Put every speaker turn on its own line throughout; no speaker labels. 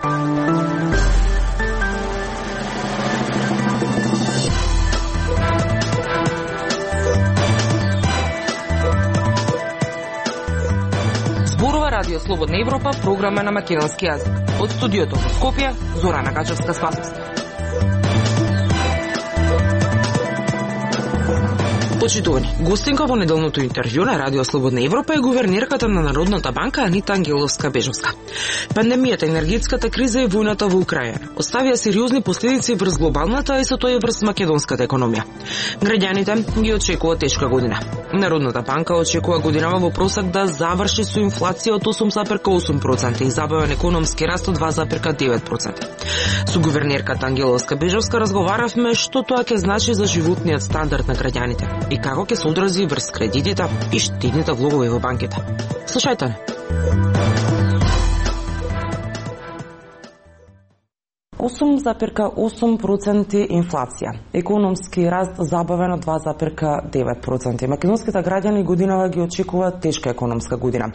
Радио Слободна Европа, програма на македонски јазик. Од студиото во Скопје, Зорана Гачевска-Спасовска. Почитувани, гостинка во неделното интервју на Радио Слободна Европа е гувернерката на Народната банка Анита Ангеловска-Бежовска. Пандемијата, енергетската криза и војната во Украина оставија сериозни последици врз глобалната и со тоа и врз македонската економија. Граѓаните ги очекува тешка година. Народната банка очекува годинава во просек да заврши со инфлација од 8,8% и забавен економски раст од 2,9%. Со гувернерката Ангеловска-Бежовска разговаравме што тоа ќе значи за животниот стандард на граѓаните и како ќе се одрази врз кредитите и штедните влогови во банките. Слушајте. 8,8% инфлација, економски раст забавен од 2,9%. Македонските граѓани годинава ги очекуваат тешка економска година.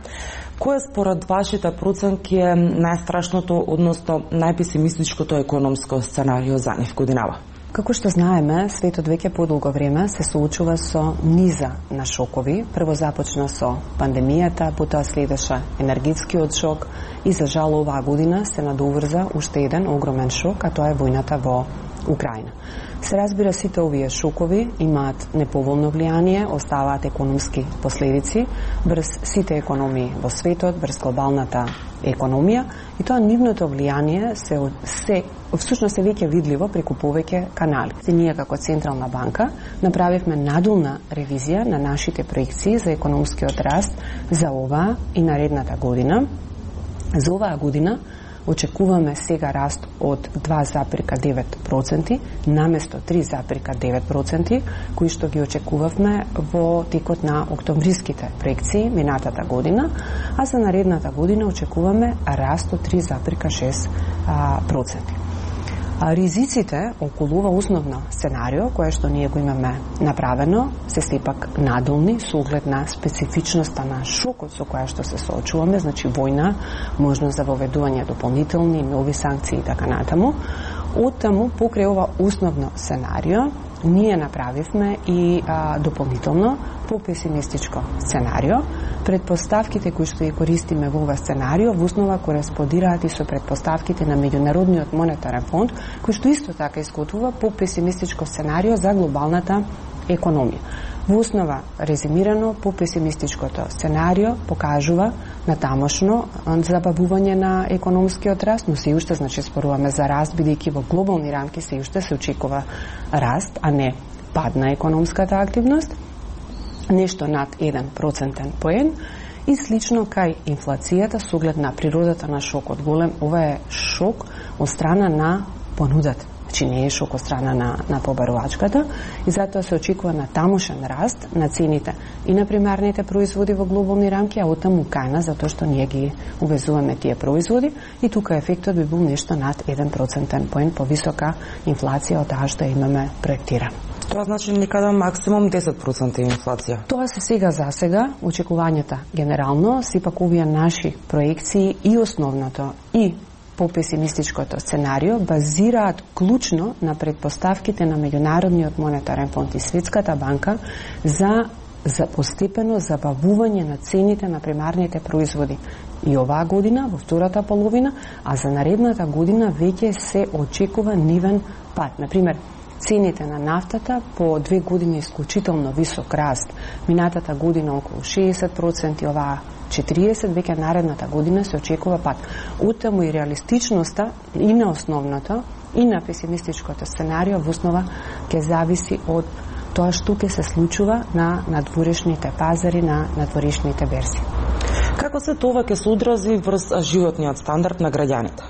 Кој според вашите проценки е најстрашното, односно најпесимистичкото економско сценарио за нив годинава?
Како што знаеме, светот веќе подолго време се соочува со низа на шокови. Прво започна со пандемијата, потоа следеше енергетскиот шок и за жал оваа година се надоврза уште еден огромен шок, а тоа е војната во Украина. Се разбира, сите овие шокови имаат неповолно влијание, оставаат економски последици врз сите економии во светот, врз глобалната економија, и тоа нивното влијание се всушност е веќе видливо преку повеќе канали. Ние како Централна банка направивме надолна ревизија на нашите проекции за економскиот раст за оваа и наредната година. За оваа година очекуваме сега раст од 2,9% наместо 3,9%, кои што ги очекувавме во текот на октомвриските проекции минатата година, а за наредната година очекуваме раст од 3,6%. Ризиците околу ова основно сценарио, кое што ние го имаме направено, се сепак надолни со оглед на специфичноста на шокот со која што се соочуваме, значи војна, можност за воведување дополнителни нови санкции и така натаму. Оттаму, покрај ова основно сценарио, ние направивме и дополнително попесимистичко сценарио. Предпоставките кои што ги користиме во ова сценарио во основа кореспондираат и со предпоставките на Меѓународниот монетарен фонд, кој што исто така изготвува попесимистичко сценарио за глобалната економија. Во основа, резимирано, попесимистичкото сценарио покажува натамошно забавување на економскиот раст, но се уште, значи, споруваме за раст, бидејќи во глобални рамки се уште се очекува раст, а не пад на економската активност, нешто над 1% поен, и слично кај инфлацијата со оглед на природата на шокот голем. Ова е шок од страна на понудата. Значи не е шок од страна на побарувачката, и затоа се очекува на тамошен раст на цените и на примарните производи во глобални рамки, а оттаму кајна, затоа што ние ги увезуваме тие производи, и тука ефектот би бил нешто над 1% поен повисока инфлација од таа што имаме проектирано.
Тоа значи некаде максимум 10% инфлација.
Тоа се сега за сега очекувањата генерално, сепак овие наши проекции и основното и попесимистичкото сценарио базираат клучно на предпоставките на Меѓународниот монетарен фонд и Светската банка за постепено забавување на цените на примарните производи и оваа година, во втората половина, а за наредната година веќе се очекува нивен пад. Например, цените на нафтата по 2 години исклучително висок раст. Минатата година околу 60%, оваа 40%, веќе наредната година се очекува пад. Оттаму и реалистичноста и на основното и на песимистичкото сценарио во основа ќе зависи од тоа што ќе се случува на надворешните пазари, на надворешните берзи.
Како се тоа ќе се одрази врз животниот стандард на граѓаните?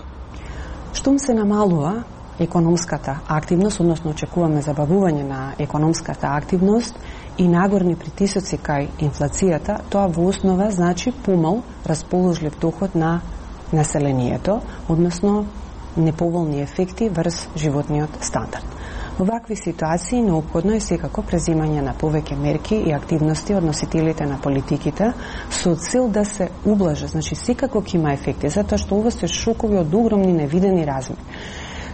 Штом се намалува економската активност, односно очекуваме забавување на економската активност и нагорни притисоци кај инфлацијата, тоа во основа значи помал расположлив доход на населението, односно неповолни ефекти врз животниот стандард. Во вакви ситуации неопходно е секако презимање на повеќе мерки и активности од носителите на политиките со цел да се ублаже, значи секако ќе има ефекти, затоа што ова се шокови од огромни невидени размери.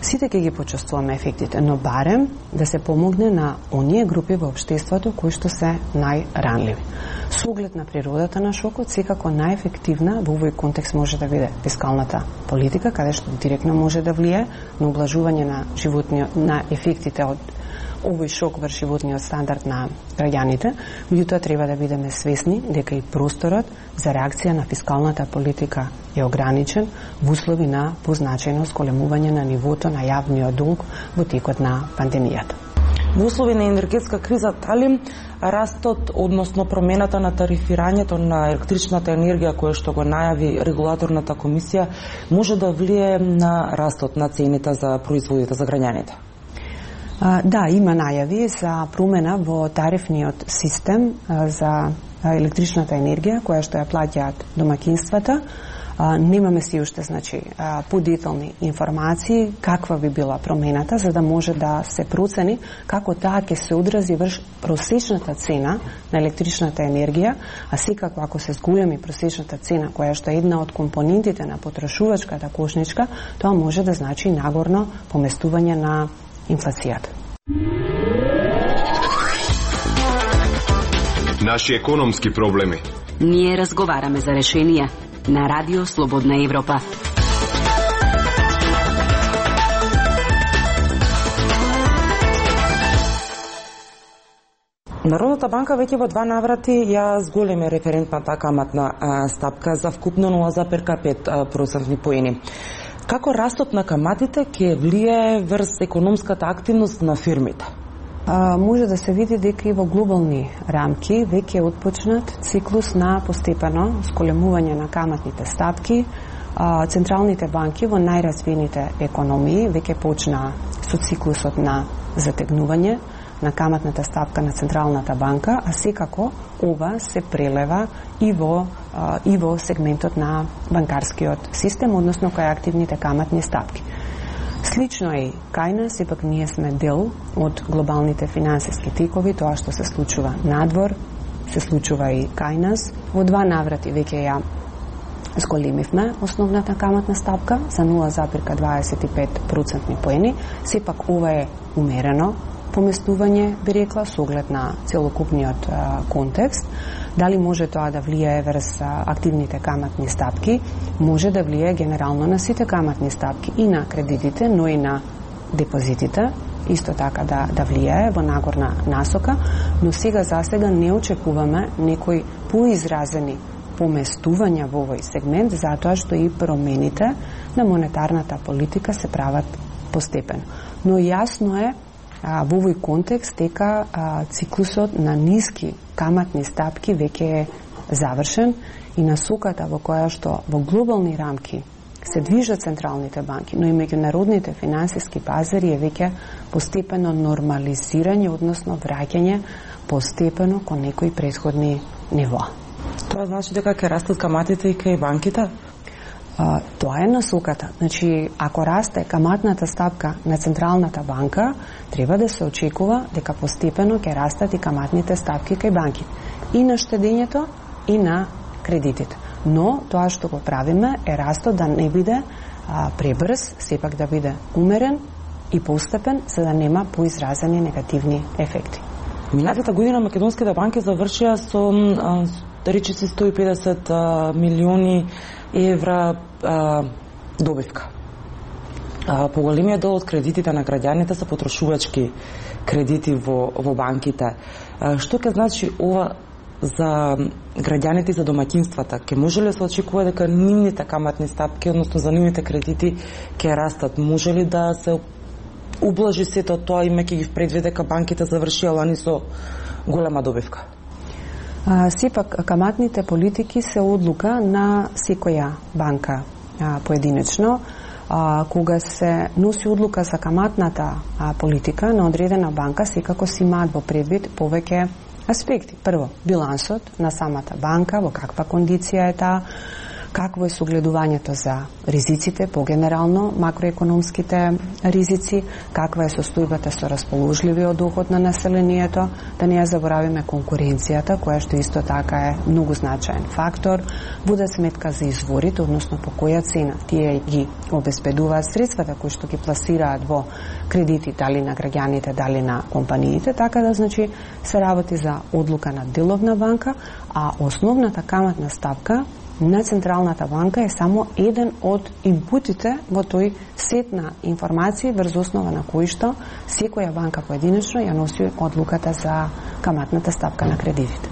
Сите ќе ги почувствуваме ефектите, но барем да се помогне на оние групи во општеството кои што се најранливи. Со оглед на природата на шокот, секако најефективна во овој контекст може да биде фискалната политика, каде што директно може да влие на ублажување на ефектите од овој шок врз животниот стандард на граѓаните, меѓутоа треба да бидеме свесни дека и просторот за реакција на фискалната политика е ограничен во услови на позначајно зголемување на нивото на јавниот долг во текот на пандемијата.
Во услови на енергетска криза, дали растот, односно промената на тарифирањето на електричната енергија која што го најави регулаторната комисија може да влие на растот на цените за производите за граѓаните?
Да, има најави за промена во тарифниот систем за електричната енергија која што ја плаќаат домакинствата. Немаме си уште подетални информации каква би била промената, за да може да се процени како таа ќе се одрази врз просечната цена на електричната енергија, а секако ако се зголеми просечната цена, која што е една од компонентите на потрошувачката кошничка, тоа може да значи нагорно поместување на инфлацијата.
Наши економски проблеми.
Ние разговараме за решенија на Радио Слободна Европа.
Народната банка веќе во 2 наврати ја зголеми референтната каматна стапка за вкупно 0,5% поени. Како растот на каматите ќе влие врз економската активност на фирмите?
Може да се види дека и во глобални рамки веќе е отпочнат циклус на постепено зголемување на каматните стапки. Централните банки во најразвиените економии веќе почнаа со циклусот на затегнување на каматната стапка на Централната банка, а секако ова се прелева и во сегментот на банкарскиот систем, односно кај активните каматни стапки. Слично е и кај нас, сепак ние сме дел од глобалните финансиски тикови, тоа што се случува надвор, се случува и кај нас. Во 2 наврати веќе ја зголемивме основната каматна стапка за 0,25% поени, сепак ова е умерено поместување, би рекла, со оглед на целокупниот контекст. Дали може тоа да влијае врз активните каматни стапки? Може да влијае генерално на сите каматни стапки, и на кредитите, но и на депозитите, исто така да влијае во нагорна насока, но сега не очекуваме некои поизразени поместувања во овој сегмент, затоа што и промените на монетарната политика се прават постепено. Но јасно е во овој контекст дека циклусот на ниски каматни стапки веќе е завршен и насоката во која што во глобални рамки се движат централните банки, но и меѓународните финансиски пазари е веќе постепено нормализирање, односно враќање постепено кон некои претходни нивоа.
Тоа значи дека ќе растат каматите и кај банките?
Тоа е насоката. Значи, ако расте каматната стапка на Централната банка, треба да се очекува дека постепено ќе растат и каматните стапки кај банките. И на штедењето, и на кредитите. Но тоа што го правиме е растот да не биде пребрз, сепак да биде умерен и постепен, за да нема поизразени негативни ефекти.
Минатата година македонските банки завршија со речиси 150 милиони евра добивка. Поголемиот дел од кредитите на граѓаните се потрошувачки кредити во банките. Што ќе значи ова за граѓаните и за домаќинствата? Ке може ли да се очекува дека нивните каматни стапки, односно за нивните кредити, ќе растат? Може ли да се ублажи сето тоа, имајќи ги предвид дека банките завршија лани со голема добивка?
Сепак, каматните политики се одлука на секоја банка поединечно. Кога се носи одлука за каматната политика на одредена банка, секако си имаат во предвид повеќе аспекти. Прво, билансот на самата банка, во каква кондиција е таа, какво е согледувањето за ризиците, погенерално макроекономските ризици, каква е состојбата со расположливиот доход на населението, да не ја заборавиме конкуренцијата, која што исто така е многу значаен фактор, вода сметка за изворите, односно по која цена тие ги обезбедуваат средствата кои што ги пласираат во кредити, дали на граѓаните, дали на компаниите, така да значи се работи за одлука на деловна банка, а основната каматна ставка на Централната банка е само еден од инпутите во тој сет на информации врз основа на кои што секоја банка поединечно ја носи одлуката за каматната ставка на кредитите.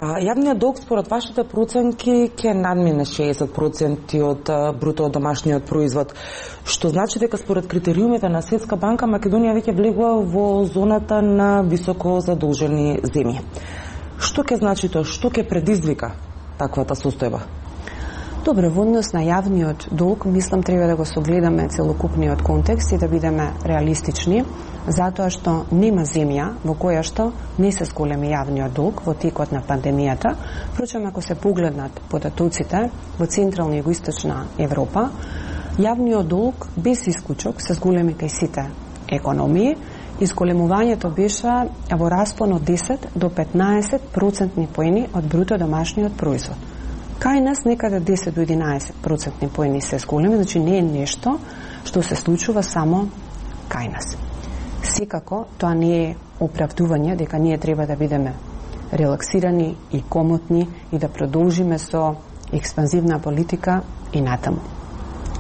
Јавниот долг според вашите проценки ќе надмине 60% од бруто домашниот производ, што значи дека според критериумите на Светска банка Македонија веќе влегува во зоната на високо задолжени земји. Што ќе значи тоа? Што ќе предизвика таквата состојба?
Добро, во однос на јавниот долг, мислам треба да го согледаме целокупниот контекст и да бидеме реалистични, затоа што нема земја во која што не се зголеми јавниот долг во текот на пандемијата. Впрочем, ако се погледнат податоците во Централна и Југоисточна Европа, јавниот долг без исклучок се зголеми кај сите економии. Изголемувањето беше во распон од 10 до 15% поени од бруто домашниот производ. Кај нас некаде 10 до 11% поени се зголеми, значи не е нешто што се случува само кај нас. Секако, тоа не е оправдување дека ние треба да бидеме релаксирани и комотни и да продолжиме со експанзивна политика и натаму.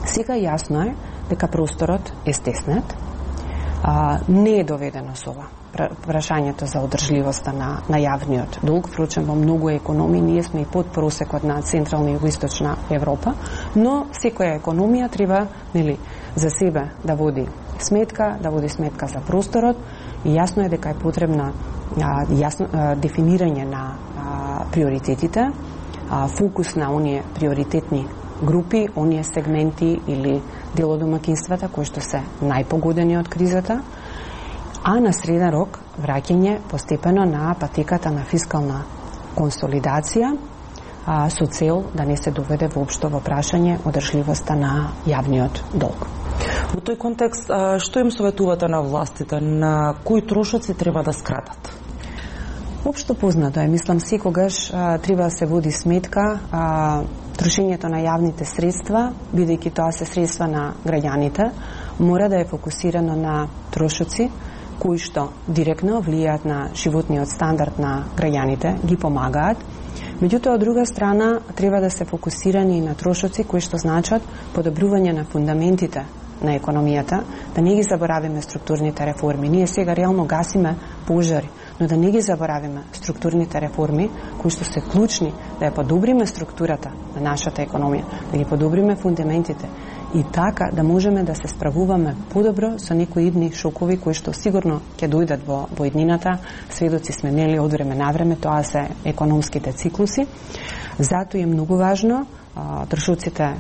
Сега јасно е дека просторот е стеснет, не е доведено со ова прашањето за одржливоста на јавниот долг. Впрочем, во многу економии ние сме и под просекот на Централна и Југоисточна Европа, но секоја економија треба за себе да води сметка за просторот и јасно е дека е потребна дефинирање на приоритетите, фокус на оние приоритетни групи, оние сегменти или делодомакинствата кои што се најпогодени од кризата, а на среден рок враќање постепено на патеката на фискална консолидација со цел да не се доведе воопшто во прашање одржливоста на јавниот долг.
Во тој контекст, што им советувате на властите, на кои трошоци треба да скратат?
Општо познато е, мислам, секогаш треба да се води сметка трошењето на јавните средства, бидејќи тоа се средства на граѓаните, мора да е фокусирано на трошоци кои што директно влијаат на животниот стандард на граѓаните, ги помагаат. Меѓутоа, од друга страна, треба да се фокусирани на трошоци кои што значат подобрување на фундаментите на економијата, да не ги заборавиме структурните реформи. Ние сега реално гасиме пожари, но да не ги заборавиме структурните реформи кои што се клучни да ја подобриме структурата на нашата економија, да ги подобриме фундаментите и така да можеме да се справуваме подобро со некои идни шокови кои што сигурно ќе дојдат во иднината. Сведоци сме нели од време на време, тоа се економските циклуси. Затоа е многу важно трошоците,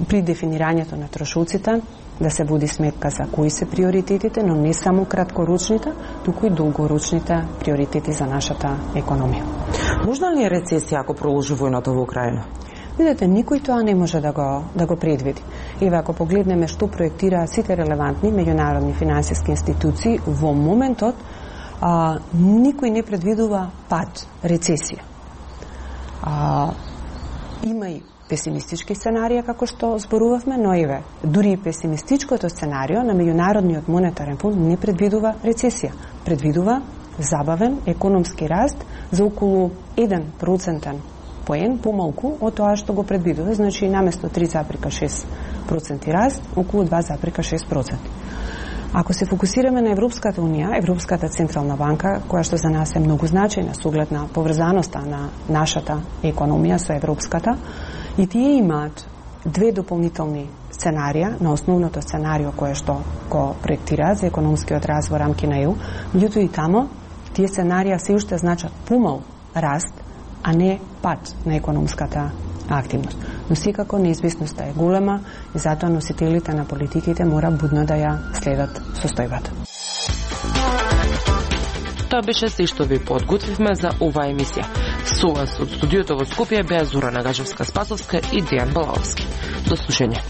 при дефинирањето на трошоците, да се води сметка за кои се приоритетите, но не само краткорочните, туку и долгорочните приоритети за нашата економија.
Можна ли е рецесија ако продолжи војната во Украина?
Видете, никој тоа не може да го предвиди. Еве, ако погледнеме што проектираат сите релевантни меѓународни финансиски институции, во моментот никој не предвидува пад, рецесија. Има и песимистички сценарија, како што зборувавме, но еве, дури и песимистичкото сценарио на Меѓународниот монетарен фонд не предвидува рецесија. Предвидува забавен економски раст за околу 1% поен помалку од тоа што го предвидува, значи наместо 3,6% раст, околу 2,6%. Ако се фокусираме на Европската унија, Европската централна банка, која што за нас е многу значајна со оглед на поврзаноста на нашата економија со европската, и тие имаат две дополнителни сценарија на основното сценарио кое што го проектираат за економскиот развој во рамки на ЕУ, меѓутоа и тамо тие сценарија се уште значат помал раст, а не пад на економската активност. Но секако неизвестноста е голема и затоа носителите на политиките мора будно да ја следат состојбата.
Тоа беше се што ви подготвивме за оваа емисија. Со вас од студиото во Скопје беа Зора Нагажевска-Спасовска и Дејан Балаовски. До слушање.